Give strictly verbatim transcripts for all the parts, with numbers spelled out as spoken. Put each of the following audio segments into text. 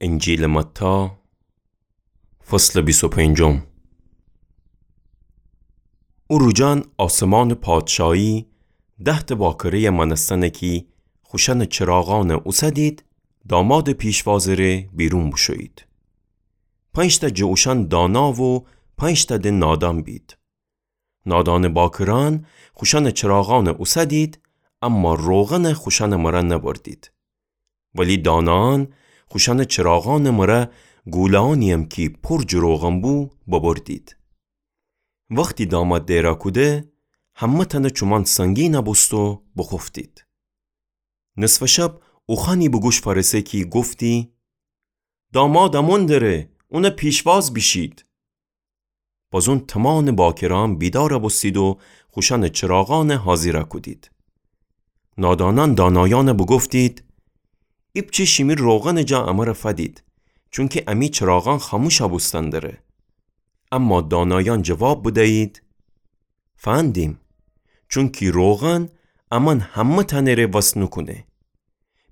انجیلٚ متی، فصلٚ بیست و پنجم. او روجأن آسمانٚ پادشاهی ده‌تأ باکره‌یَ مأنستن کی خوشأنٚ چراغأنَ اوسدید، دامادٚ پیشوازٚ ره بیرون بوشویید. پنج‌تأ جٚه اوشأن دانا و پنج‌تأ د نادان بید. نادانٚ باکرأن خوشأنٚ چراغأنَ اوسدید، اما روغنَ خوشأنٚ مره نبردید. ولی دانایأن خوشأنٚ چراغأنٚ مره گوله‌یأنی‌یم کی پور جٚه روغن بو، ببردید. وختی داماد دئرا کوده، همه‌تأنٚ چومأن سنگین بوست و بوخوفتید. نصفٚ شب اوخوأنی به گوش فأرسه کی گفتی: «داماد امون دره، اونٚ پیشواز بیشید.» بازون تومانٚ باکرأن بیدار بوستید و خوشأنٚ چراغأنَ حاضر کودید. نادانأن دانایأنَ بوگفتید: «ایپچه شیمی روغنٚ جا امره فدید، چونکی امی چراغأن خاموش بوستن دره.» اما دانایأن جواب بدیید: «فندیم، چونکی روغن امأن همه‌تأنٚ ره وس نوکونه.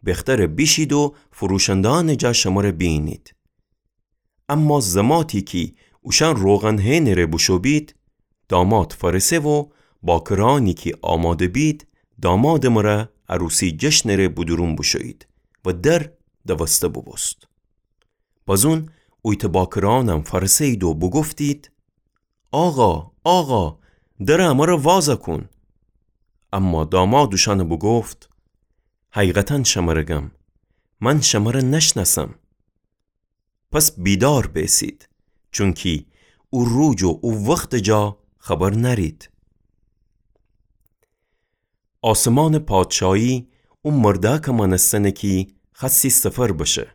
بختره بیشید و فروشنده‌یأنٚ جا شمره بیینید.» اما زماتی کی اوشأن روغن هئنٚ ره بوشو بید، داماد فأرسه و باکرأنی کی آماده بید، دامادٚ مره عروسی جشنٚ ره بودورون بوشویید و در دوسته بوبوست. بازون اویتأ باکرأنم فأرسه‌یید و بوگفتید: «آقا، آقا، درٚ امره واز کون.» اما داماد اوشأنَ بوگفت: «حقیقتاً شمره گم، من شمره نشنأسم. پس بیدار بیسید، چونکی او روج و او وختٚ جا خبر نأرید.» آسمانٚ پادشاهی او مردأکٚ مأنستنه کی خوأستی سفر بشه.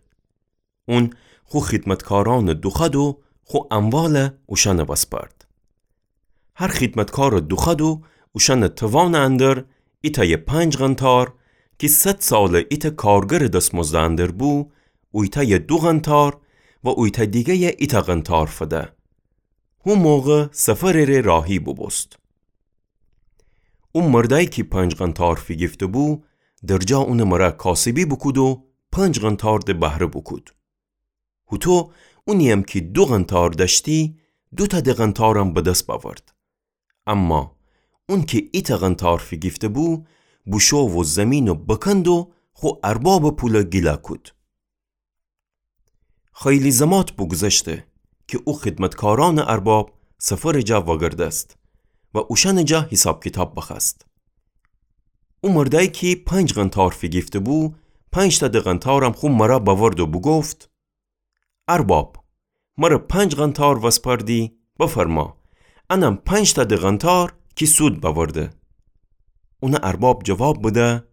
اون خو خدمتکارأنَ دوخوأد و خو اموال اوشأنَ وسپأرد. هر خدمتکارَ دوخوأد و اوشأنٚ توانٚ اندر، ایتأیَ پنج قنطار کی صد ساله ایتأ کارگرٚ دسمزدٚ اندر بو، اویتأیَ دو قنطار و اویتأ دیگه‌یَ ایتأ قنطار فده. هو موقع سفرٚ ره راهی بوبوست. او مردأیی کی پنج قنطار فیگیفته‌بو، درجا اونٚ مره کاسبی بوکود و پنج قنطار د بهره بوکود. هوطو اونی‌یم کی دو قنطار دأشتی، دوتأ د قنطارم به دس بأورد. اما اون کی ایتأ قنطار فیگیفته‌بو، بوشو و زیمینَ بکند و خو اربابٚ پولَ گیلا کود. خیلی زمات بوگوذشته کی او خدمتکارأنٚ ارباب سفرٚ جا وأگردست و اوشأنٚ جا حیساب کیتاب بخوأست. او مردأیی کی پنج قنطار فیگیفته‌بو، پنج‌تأ د قنطارم خو مره بأورد و بوگفت: «ارباب، مره پنج قنطار وسپأردی، بفرما، انم پنج‌تأ د قنطار کی سود بأورده.» اونٚ ارباب جواب بده: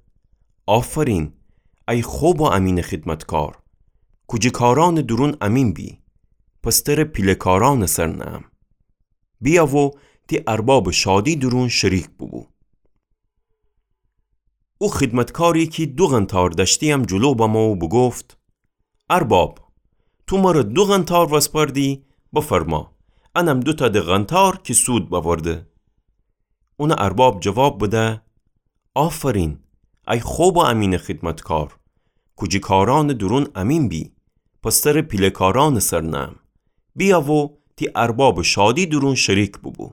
«آفرین، ای خب و امینٚ خدمتکار، کوجه کارأنٚ دورون امین بی، پس تره پیله کارأنٚ سر نهم. بیا و تی اربابٚ شادی دورون شریک بوبو.» او خدمتکاری کی دو قنطار دأشتی‌یم جلو بمو و بوگفت: «ارباب، تو مره دو قنطار وسپأردی، بفرما، انم دوتأ د قنطار کی سود بأورده.» اونٚ ارباب جواب بده: «آفرین، ای خب و امینٚ خدمتکار، کوجه کارأنٚ دورون امین بی، پس تره پیله کارأنٚ سر نهم. بیا و تی اربابٚ شادی دورون شریک بوبو.»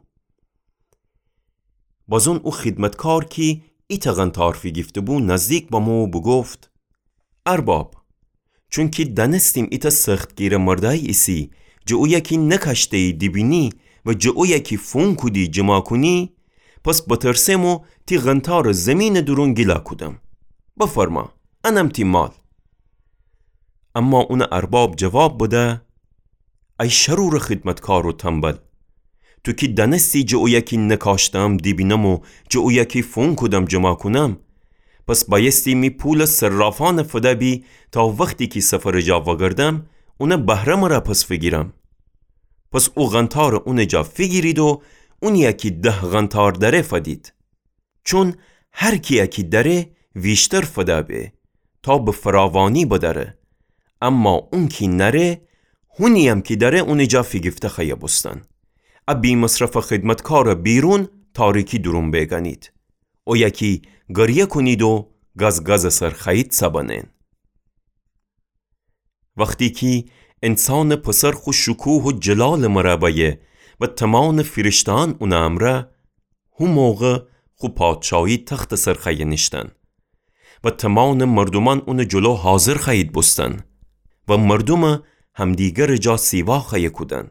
بازون او خدمتکار کی ایتأ قنطار فیگیفته‌بو نزدیک بمو و بوگفت: «ارباب، چونکی دأنستیم ایتأ سختگیره مردأیی ایسی، جٚه اویه کی نکاشته‌یی دیبینی و جٚه اویه کی فونکودی جمع کونی، پس بترسم و تی قنطارٚ زیمینٚ دورون گیلا کودم. بفرما، انم تی مال.» اما اونٚ ارباب جواب بده: «ای شرورٚ خدمتکار و تنبل، تو کی دأنستی جٚه اویه کی نکاشتم دیبینم و جٚه اویه کی فونکودم جمع کونم، پس بأیستی می پولٚ صرافأنٚ فده بی تا وختی کی سفرٚ جا وأگردم، اونٚ بهره مره پس فیگیرم. پس او قنطارٚ اونٚ جا فیگیرید و اونی‌یه کی ده قنطار دأره فدید. چون هر کی‌یه کی دأره ویشتر فده به تا به فراوانی بدأره، اما اون کی نأره، هونی‌یم کی دأره اونٚ جا فیگیفته خوأیه بوستن. ا بی‌مصرفٚ خدمتکارٚ بیرون تاریکی دورون بیگنید، اویه کی گریه کونید و گازگازٚ سر خوأیید سبنین.» وختی کی انسانٚ پسر خو شکوه و جلالٚ مره بأیه و تمانٚ فیرشته‌أن اونٚ امرأ، هو موقع خو پادشاهی تختٚ سر خوأیه نیشتن و تمانٚ مردومأن اونٚ جلو حاضر خوأیید بوستن و مردومٚ همدیگرٚ جا سیوا خوأیه کودن.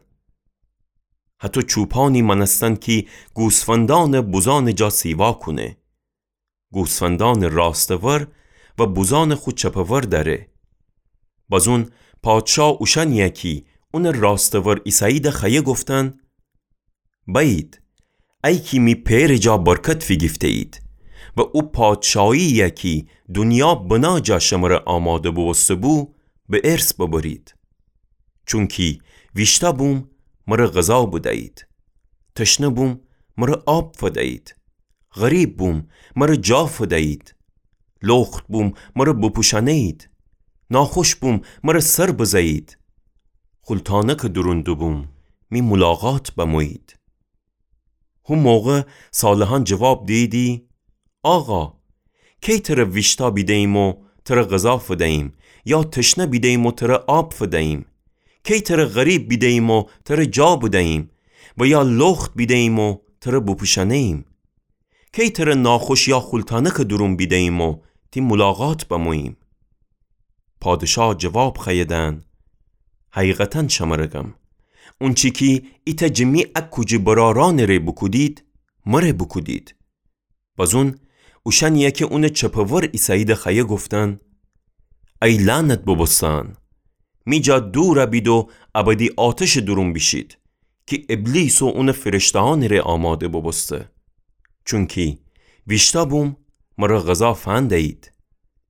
هتو چوپانی مأنستن کی گوسفندأنٚ بوزأنٚ جا سیوا کونه. گوسفندأنٚ راستٚ ور و بوزأنٚ خو چپٚ ور دأره. بازون پادشا اوشأنیی کی اونٚ راستٚ ور ایسه‌ییده خوأیه گفتن: بأیید، ای کی می پئرٚ جا برکت فیگیفته‌یید و او پادشاهیی کی دونیا بنا جا شمره آماده بوبوسته‌بو، به ارث ببرید. چونکی ویشتأ بوم، مره غذا بدیید. تشنه بوم، مره آب فدیید. غریب بوم، مره جا فدیید. لخت بوم، مره بپوشأنه‌یید. ناخوش بوم، مره سر بزه‌یید. خولتانکٚ دورون دوبوم، می مولاقات بمویید. هو موقع صالحأن جواب دییدی: آقا، کی تره ویشتأ بیده‌ییم و تره غذا فدییم، یا تشنه بیده‌ییم و تره آب فدییم؟ کی تره غریب بیده‌ییم و تره جا بدییم، و یا لخت بیده‌ییم و تره بپوشأنه‌ییم؟ کی تره ناخوش یا خولتانکٚ دورون بیده‌ییم و تی مولاقات بموییم؟ پادشا جواب خوأیه دأن: حقیقتا شمره گم، اونچی کی ایتأ جٚه می اکوجی برأرأنٚ ره بوکودید، مره بوکودید. بازون اوشأنیی کی اونٚ چپٚ ور ایسه‌ییده خوأیه گفتن: ای لعنت بوبوسته‌أن، می جا دور بید و ابدی آتشٚ دورون بیشید کی ابلیس و اونٚ فیرشته‌أنٚ ره آماده بوبوسته. چونکی ویشتأ بوم، مره غذا فندیید.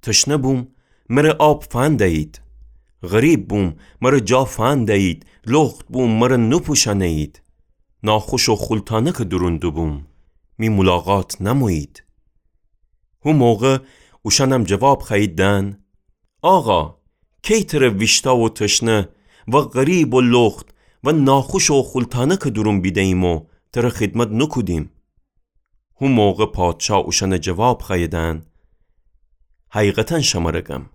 تشنه بوم، مره آب فندیید. غریب بوم، مره جا فندیید. لخت بوم، مره نوپوشأنه‌یید. ناخوش و خولتانکٚ دورون دوبوم، می مولاقات نمویید. هو موقع اوشأنم جواب خوأیید دأن: آقا، کی تره ویشتأ و تشنه و غریب و لخت و ناخوش و خولتانکٚ دورون بیده‌ییم و تره خدمت نوکودیم؟ هو موقع پادشا اوشأنه جواب خوأیه دأن: حقیقتا شمره گم،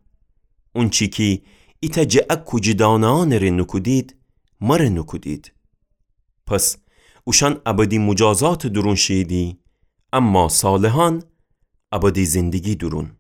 اونچی کی ایتأ جٚه اکوجی دانه‌أنٚ ره نوکودید، مره نوکودید. پس اوشأن ابدی موجازاتٚ دورون شییدی، اما صالحأن ابدی زندگی دورون.